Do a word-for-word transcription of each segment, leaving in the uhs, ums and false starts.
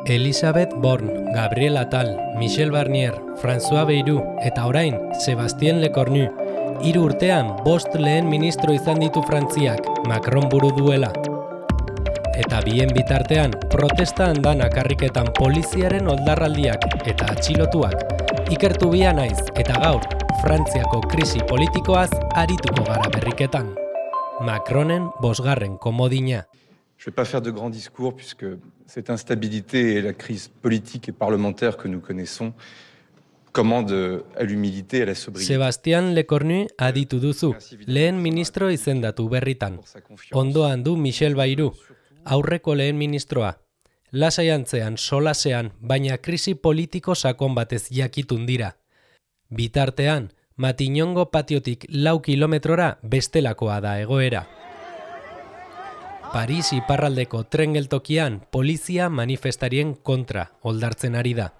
Elisabeth Borne, Gabriel Attal, Michel Barnier, François Bayrou eta orain Sebastien Lecornu. Hiru urtean bost lehen ministro izan ditu Frantziak, Macron buru duela. Eta bien bitartean, protesta andan akarriketan poliziaren oldarraldiak eta atxilotuak. Ikertu bia naiz eta gaur, Frantziako krisi politikoaz arituko gara berriketan. Macronen bosgarren komodina. Je ne vais pas faire de grands discours puisque cette instabilité et la crise politique et parlementaire que nous connaissons commandent à l'humilité et à la sobriété. Sebastien Lecornu aditu duzu, lehen ministro izendatu berritan. Ondoan du Michel Bayrou, aurreko lehen ministroa. Lasaiantzean, solasean, baina krisi politiko sakon batez jakitun dira. Bitartean, Matignongo patiotik lau kilometrora bestelakoa da egoera. Paris iparraldeko tren geltokian polizia manifestarien kontra oldartzen ari da.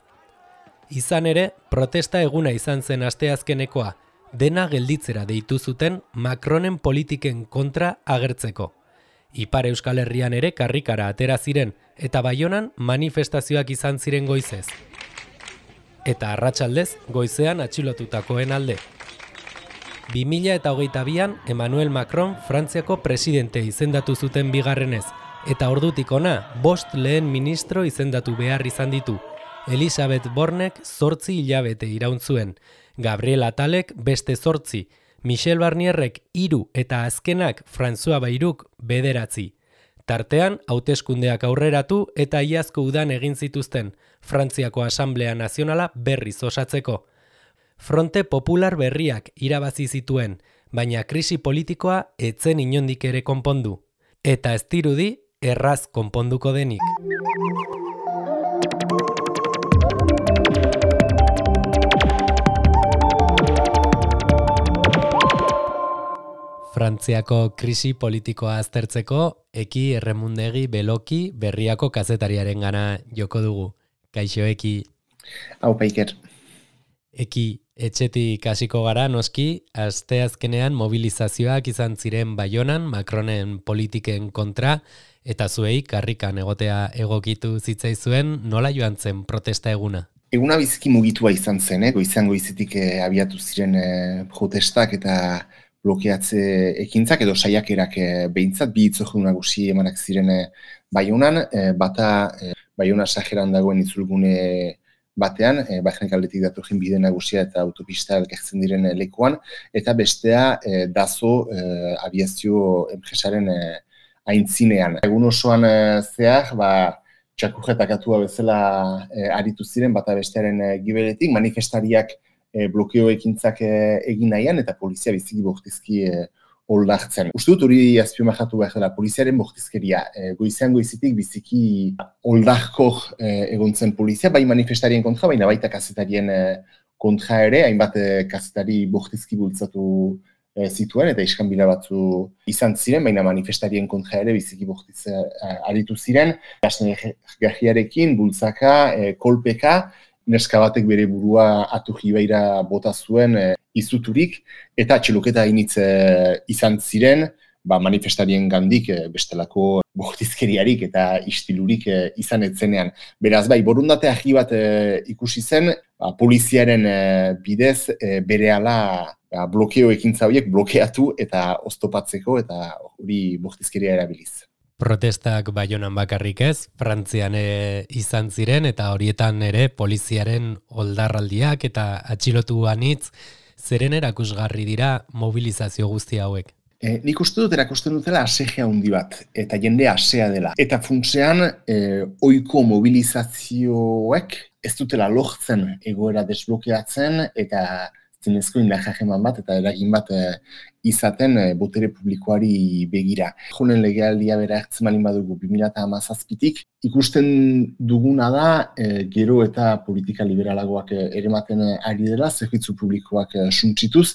Izan ere, protesta eguna izan zen asteazkenekoa, dena gelditzera deitu zuten Macronen politiken kontra agertzeko. Ipar Euskal Herrian ere karrikara atera ziren eta Baionan manifestazioak izan ziren goizez. Eta arratsaldez goizean atxilotutakoen alde. bi mila hogeita bian Emmanuel Macron Frantziako presidente izendatu zuten bigarrenez, eta ordutik ona bost lehen ministro izendatu behar izan ditu. Elisabeth Bornek zortzi hilabete iraun zuen, Gabriel Attalek beste zortzi, Michel Barnierrek hiru eta azkenak François Bayrouk bederatzi. Tartean, hauteskundeak aurreratu eta iazko udan egin zituzten, Frantziako Asamblea Nazionala berriz osatzeko. Fronte Popular berriak irabazi zituen, baina krisi politikoa etzen inondik ere konpondu. Eta ez dirudi, erraz konponduko denik. Frantziako krisi politikoa aztertzeko, Eki Erremundegi Beloki Berriako kazetariaren gana joko dugu. Kaixo, Eki. Hau, Paiker. Eki, etxetik hasiko gara noski, asteazkenean mobilizazioak izan ziren Baionan, Macronen politiken kontra, eta zuei karrikan egotea egokitu zitzaizuen, nola joan zen protesta eguna? Eguna biziki mugitua izan zen, eh? Goizean goizetik eh, abiatu ziren eh, protestak eta blokeatze ekintzak edo saiakerak eh, behintzat, bi hitzordu nagusi emanak ziren eh, Baionan, eh, bata eh, Baiona sajeran dagoen itzulgune batean, e, Bajenek aldetik datorren bide nagusia eta autopista elkartzen diren e, lekuan, eta bestea e, dazo e, aviazio enpresaren e, aintzinean. Egun osoan e, zehar, ba, txakurretak atua bezala e, aritu ziren, bata bestearen e, gibeletik, manifestariak e, blokeo ekintzak e, egin nahian, eta polizia biziki bortizki e, oldartzen. Uste dut hori azpimarratu behar dela, poliziaren bortizkeria. E, goizean goizetik biziki oldarkor e, egontzen polizia, bai manifestarien kontra, baina baita kazetarien e, kontra ere, hainbat e, kazetari bortizki bultzatu e, zituen, eta iskanbila batzu izan ziren, baina manifestarien kontra ere biziki bortiz e, aritu ziren. Gajiarekin, bultzaka, e, kolpeka, neska batek bere burua atuji beira bota zuen e, izuturik, eta atxiloketa initz e, izan ziren, ba, manifestarien gandik e, bestelako bortizkeriarik eta istilurik e, izan etzenean. Beraz, bai, borundate agi bat e, ikusi zen, ba, poliziaren e, bidez e, berehala ba, blokeo ekintza horiek blokeatu eta oztopatzeko eta hori bortizkeria erabiliz. Protestak Baionan bakarrik ez, Frantzian e, izan ziren eta horietan ere poliziaren oldarraldiak eta atxilotu anitz, zeren erakusgarri dira mobilizazio guzti hauek? E, nik uste dut erakusten dutela asegea handi bat, eta jende asea dela. Eta funtsean, e, ohiko mobilizazioek ez dutela lortzen egoera desblokeatzen, eta zinezko indarrajeman bat eta eragin bat e, izaten e, botere publikoari begira. Jonen legealdia bera hartzen malin badugu bi mila hamazazpitik, ikusten duguna da e, gero eta politika liberalagoak e, erematen ari dela, zerbitzu publikoak e, suntsituz,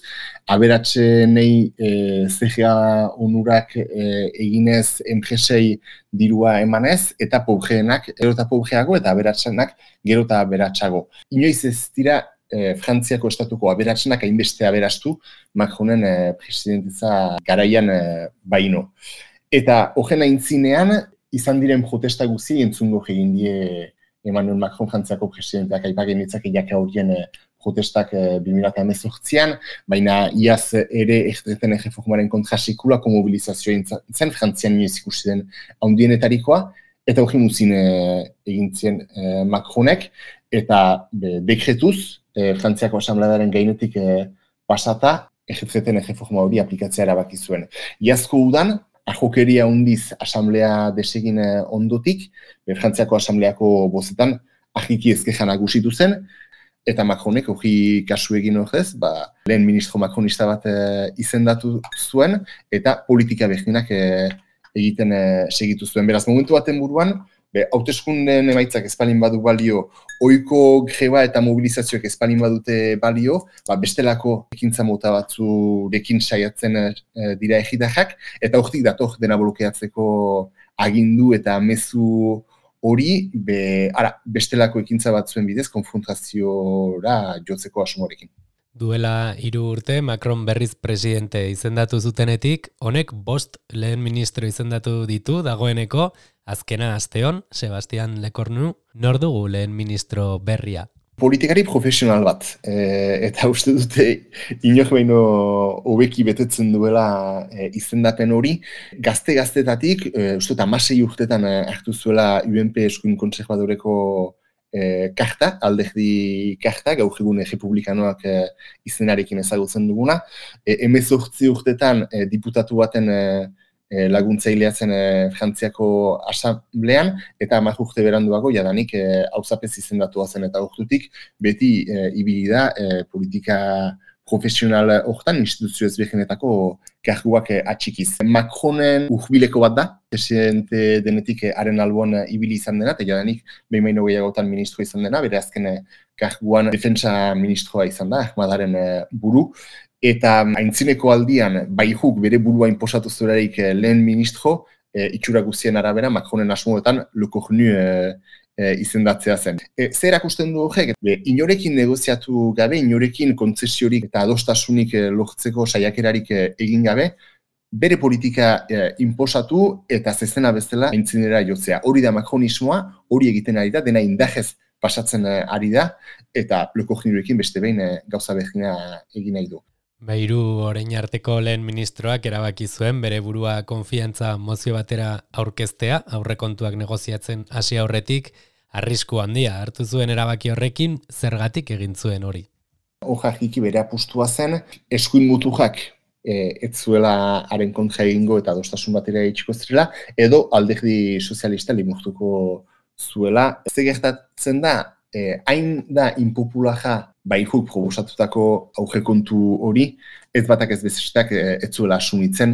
aberatsenei e, Z G A onurak e, eginez enpresei dirua emanez, eta pobreenak gero eta pobreago eta aberatsenak gero eta aberatsago. Inoiz ez dira E, Frantziako estatuko aberatsenak hainbeste aberastu Macronen e, presidentitza garaian e, baino. Eta horren aintzinean izan diren protesta guzti entzungo egin die Emmanuel Macron Frantziako presidenteak aipagen ditzake jaka horien protestak bi mila hemezortzian, baina iaz ere erreten erreformaren kontra sekulako mobilizazioa zen, Frantzian inoiz ikusi den handienetarikoa, eta hori muzin egin zien Macronek, eta dekretuz, Frantziako asamblearen gainetik pasata, erreten erreforma hori aplikatzea erabaki zuen. Iazko udan, ahokeria hundiz asamblea desegin ondotik, Frantziako asambleako bozetan ahiki ezkejan nagusitu zen, eta Macronek hori kasu egin horrez, ba, lehen ministro Macronista bat e, izendatu zuen, eta politika berdinak e, egiten e, segitu zuen. Beraz, momentu baten buruan, hauteskunden emaitzak espalin badu balio, ohiko greba eta mobilizazioak espalin badute balio, ba, bestelako ekintza mota batzurekin saiatzen e, dira egitajak, eta hortik dator dena blokeatzeko agindu eta mezu hori, be, ara, bestelako ekintza batzuen bidez, konfrontaziora jotzeko asmorekin. Duela hiru urte, Macron berriz presidente izendatu zutenetik, honek bost lehen ministro izendatu ditu dagoeneko, azkena asteon, Sebastian Lecornu, nor dugu lehen ministro berria? Politikari profesional bat, e, eta uste dute inor baino hobeki betetzen duela e, izendapen hori. Gazte-gaztetatik, e, uste dut hamasei urtetan hartu zuela U N P eskuin kontserbadoreko e, karta, alderdi karta, gaur egun republikanoak e, izenarekin ezagutzen duguna. E, hemezortzi urtetan e, diputatu baten e, laguntzailea zen e, Frantziako asamblean, eta hamar urte beranduago jadanik e, auzapez izendatua zen, eta urtutik beti e, ibili da e, politika profesional hortan instituzio ezberdinetako karguak e, atxikiz. Macronen urbileko bat da, presidente denetik e, haren alboan ibili izan dena, eta jadanik behin baino gehiagotan ministro izan dena, bere azken e, karguan defentsa ministroa izan da, Ahmadaren e, buru. Eta aintzineko aldian, baihuk bere burua inposatu zurarik lehen ministro, e, itxura guztien arabera, Macronen asmoetan Lecornu e, e, izendatzea zen. E, zer erakusten du horrek? E, inorekin negoziatu gabe, inorekin kontzesiorik eta adostasunik e, lortzeko saiakerarik e, egin gabe, bere politika e, inposatu eta zezena bezala aintzinera jotzea. Hori da Macronismoa, hori egiten ari da, dena indajez pasatzen e, ari da, eta Lecornurekin beste behin e, gauza berdina egin nahi du. Beiru orain arteko lehen ministroak erabaki zuen bere burua konfiantza mozio batera aurkeztea, aurrekontuak negoziatzen hasi aurretik, arrisku handia hartu zuen erabaki horrekin, zergatik egin zuen hori. Hojajiki bere apustua zen, eskuin muturrak e, ez zuela haren kontra egingo eta adostasun batera itxiko zirela, edo alderdi sozialista limurtuko zuela. Ze gertatzen da, e, hain da inpopulara baihuk proposatutako aurrekontu hori, ez batak ez bezestak ez zuela asumitzen,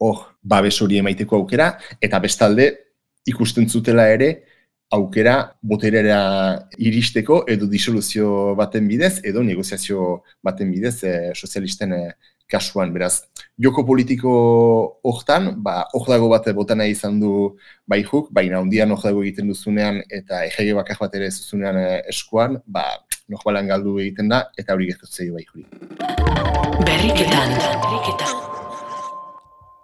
hor babes hori emaiteko aukera, eta bestalde ikusten zutela ere aukera boterera iristeko edo disoluzio baten bidez, edo negoziazio baten bidez e, sozialisten e, kasuan. Beraz, joko politiko hortan, ba, hor dago bat botana izan du baihuk, baina ondian hor dago egiten duzunean eta egege bakar bat ere zuzunean e, eskuan, ba, norbalan galdu egiten da, eta hori gertatzei bai juri. Berriketan.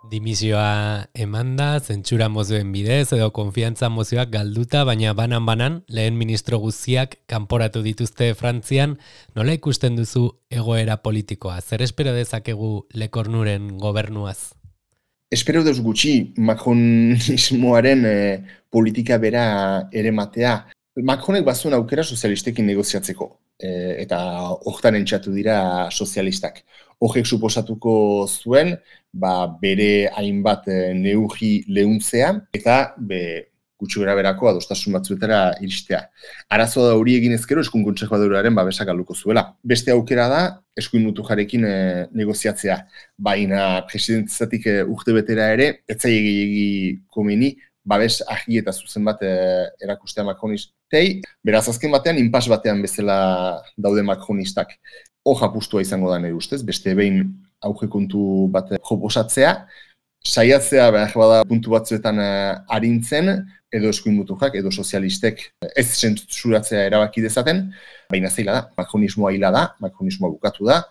Dimisioa emanda, zentsura mozioen bidez, edo konfiantza mozioak galduta, baina banan-banan, lehen ministro guztiak kanporatu dituzte Frantzian, nola ikusten duzu egoera politikoa? Zer espero dezakegu Lecornuren gobernuaz? Espero deus gutxi Macronismoaren e, politika bera ere matea. Macronek bazuen aukera sozialistekin negoziatzeko, e, eta hortan entxatu dira sozialistak. Horrek suposatuko zuen, ba, bere hainbat e, neurri lehuntzea, eta be, gutxi gara berako adostasun batzuetara iristea. Arazoa da hori egin ezkero eskuin kontserbadoraren babesak galduko zuela. Beste aukera da, eskuin mutujarekin e, negoziatzea. Baina presidentezatik e, urte betera ere, etzai gehiegi komeni, babes argi eta zuzen bat e, erakustea Macronistei. Beraz, azken batean, inpas batean bezala daude Macronistak. Hor apustua izango da nire ustez, beste behin aurrekontu bat proposatzea, saiatzea behar bada puntu batzuetan e, arintzen, edo eskuin muturrak, edo sozialistek ez zentsuratzea erabaki dezaten, baina zeila da, Macronismoa hila da, Macronismoa bukatu da,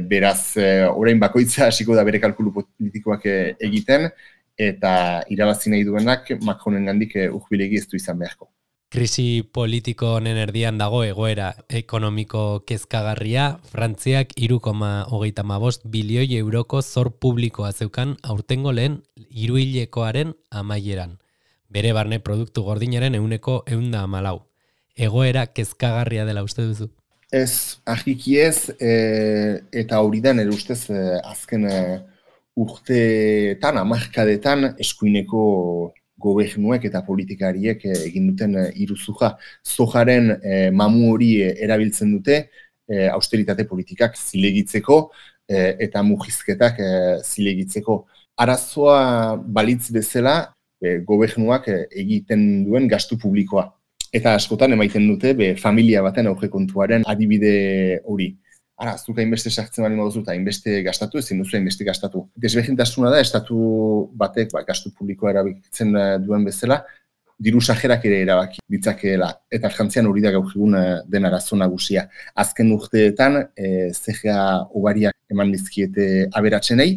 beraz, e, orain bakoitza hasiko da bere kalkulu politikoak e, egiten, eta irabazi nahi duenak Macronen gandik urbilegi ez du izan beharko. Krisi politiko honen erdian dago egoera ekonomiko kezkagarria, Frantziak hiru koma hogeita hamabost bilioi euroko zor publikoa zeukan aurtengo lehen hiruhilekoaren amaieran. Bere barne produktu gordinaren ehuneko ehun eta hamalau. Egoera kezkagarria dela uste duzu? Ez, argiki ez, e, eta hori da nire ustez e, azken e, urteetan, hamarkadetan eskuineko gobernuek eta politikariek egin duten iruzurra. Zojaren e, mamu hori erabiltzen dute e, austeritate politikak zilegitzeko e, eta murrizketak e, zilegitzeko. Arazoa balitz bezala e, gobernuak e, egiten duen gastu publikoa. Eta askotan emaiten dute be, familia baten aurrekontuaren adibide hori. Ara, zuk hainbeste sartzen bali moduzu eta hainbeste gastatu, ezin duzu hainbeste gastatu. Desberdintasuna da, estatu batek ba, gastu publikoa erabiltzen duen bezala, diru sajerak ere erabaki ditzakeela. Eta Frantzian hori da gaur egun den arazo nagusia. Azken urteetan, e, Z G A ugariak eman dizkiete aberatsenei,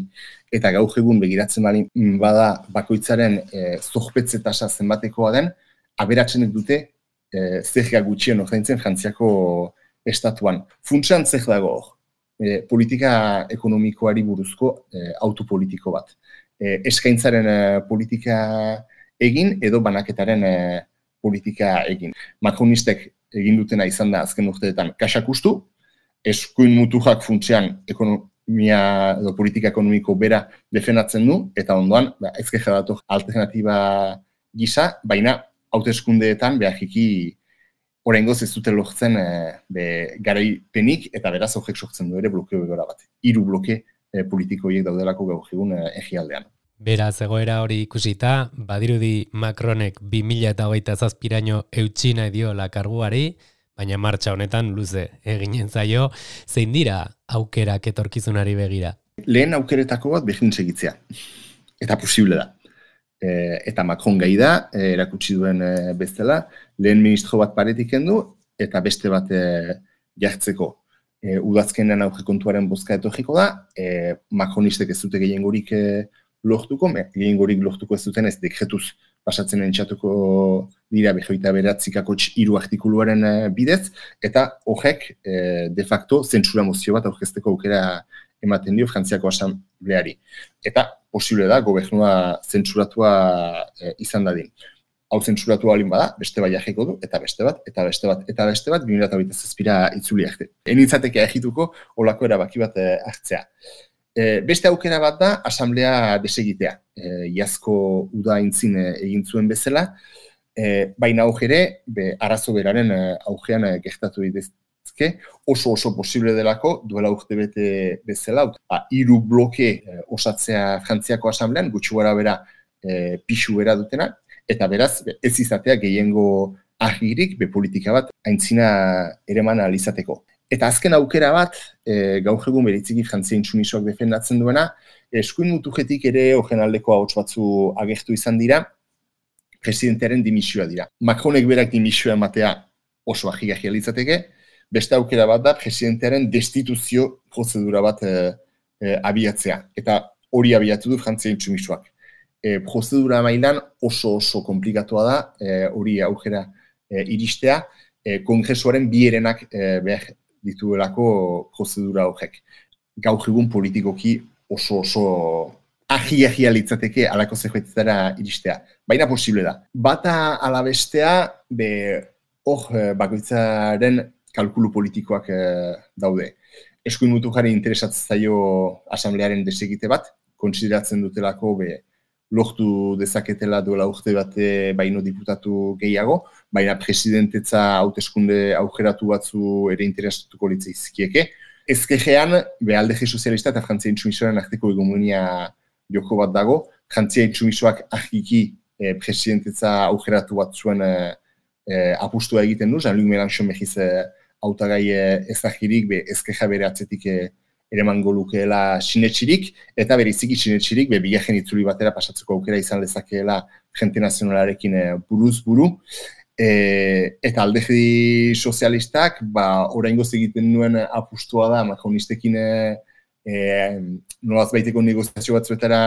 eta gaur egun begiratzen bali bada bakoitzaren e, zorpetze tasa zenbatekoa den, aberatsenek dute e, Z G A gutxien ordaintzen Frantziako estatuan. Funtsan zer dago hor, e, politika ekonomikoari buruzko e, autopolitiko bat. E, eskaintzaren e, politika egin edo banaketaren e, politika egin. Macronistek egin dutena izan da azken urteetan kaxak ustu, eskuin muturrak funtsean ekonomia edo politika ekonomiko bera defendatzen du, eta ondoan ba, ezkeja dator alternatiba gisa, baina hauteskundeetan behagiki oraingoz ez dute lortzen e, be, garaipenik eta beraz horrek sortzen du ere blokeo egora bat. Hiru bloke e, politikoiek daudelako gaur egun e, egialdean. Beraz, egoera hori ikusita, badirudi Macronek bi mila hogeita zazpiraino eutsi nahi diola karguari, baina martxa honetan luze eginen zaio, zein dira aukerak etorkizunari begira? Lehen aukeretako bat begin segitzea. Eta posible da. E, eta Macron gai da, e, erakutsi duen e, bezala, lehen ministro bat paretik kendu, eta beste bat e, jartzeko. E, udazkenean aurrekontuaren bozka etorriko da, e, Macronistek ez dute gehiengorik e, lortuko, gehiengorik lortuko ez duten ez dekretuz pasatzen entxatuko dira behoita beratzikako hiru artikuluaren e, bidez, eta horrek e, de facto zentsura mozio bat aurkezteko aukera ematen dio Frantziako asambleari. Eta posible da, gobernua zentsuratua e, izan dadin. Hau zentsuratua alin bada, beste bai ajeko du, eta beste bat, eta beste bat, eta beste bat, bi mila hogeita zazpira itzuli arte. Enitzateke agituko, olako erabaki bat e, hartzea. E, beste aukera bat da, asamblea desegitea. E, Iazko uda intzin e, egin zuen bezala, e, baina aukere, be, arazo beraren e, augean e, gertatu ditez, oso oso posible delako, duela urte bete bezala, ba, hiru bloke e, osatzea Frantziako asamblean, gutxi gara bera e, pixu bera dutena, eta beraz, ez izatea gehiengo argirik, be politika bat, aintzina ereman alizateko. Eta azken aukera bat, e, gaur egun beritziki Frantzia intsumisoak defendatzen duena, eskuin mutujetik ere horren aldeko ahots batzu agertu izan dira, presidentearen dimisioa dira. Macronek berak dimisioa ematea oso agigarria litzateke, beste aukera bat da, presidentearen destituzio prozedura bat e, e, abiatzea. Eta hori abiatu du Frantzia intsumisoak. E, prozedura mailan oso oso komplikatua da, e, hori aukera e, iristea, e, kongresuaren bi herenak e, behar dituelako prozedura horrek. Gaur egun politikoki oso oso ahi-ahia litzateke alako zerbetetara iristea. Baina posible da. Bata ala bestea, be, hor bakoitzaren kalkulu politikoak e, daude. Eskuin muturrari interesatzen zaio asamblearen desegite bat, kontsideratzen dutelako be, lortu dezaketela duela urte bate baino diputatu gehiago, baina presidentetza hauteskunde aukeratu batzu ere interesatuko litzaizkieke. Ezkerrean, be alderdi sozialista eta Frantzia intsumisoaren arteko hegemonia joko bat dago, Frantzia intsumisoak argiki e, presidentetza aukeratu batzuen e, e, apustua egiten du, Jean-Luc Mélenchon behiz e, hautagai ezagirik, be, ezkerra bere atzetik e, eremango lukeela sinetxirik, eta beriziki sinetxirik, be, bigarren itzuli batera pasatzeko aukera izan lezakeela Frente Nazionalarekin e, buruz buru. E, eta alderdi sozialistak, ba, oraingoz egiten duen apustua da, Macronistekin e, nolaz baiteko negoziazio batzuetara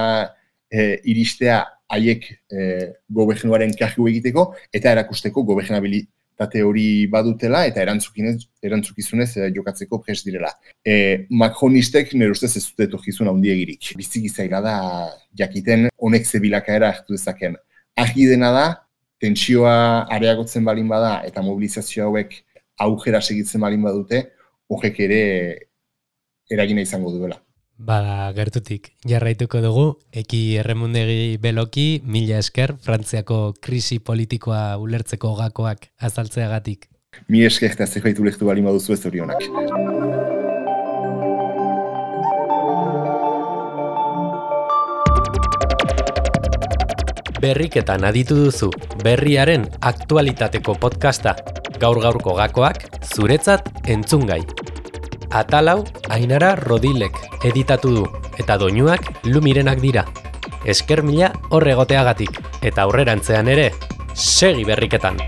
e, iristea haiek e, gobernuaren kargu egiteko eta erakusteko gobernabilitate hori badutela eta erantzukizunez e, jokatzeko prest direla. E, Macronistek nire ustez ez dute etorkizun handiegirik. Biziki zaila da jakiten honek zebilakaera hartu dezaken. Argi dena da, tentsioa areagotzen balin bada eta mobilizazio hauek aujera segitzen balin badute, horrek ere eragina izango duela. Bada, gertutik, jarraituko dugu, Eki Erremundegi Beloki, mila esker, Frantziako krisi politikoa ulertzeko gakoak azaltzeagatik. Mi esker eta zerbait ulertu balin baduzu ez zorionak. Berriketan aditu duzu, berriaren aktualitateko podcasta, gaur-gaurko gakoak, zuretzat entzungai. Atalau, Ainara Rodilek editatu du, eta doinuak Lumirenak dira. Esker mila horregoteagatik, eta aurrerantzean ere, segi berriketan!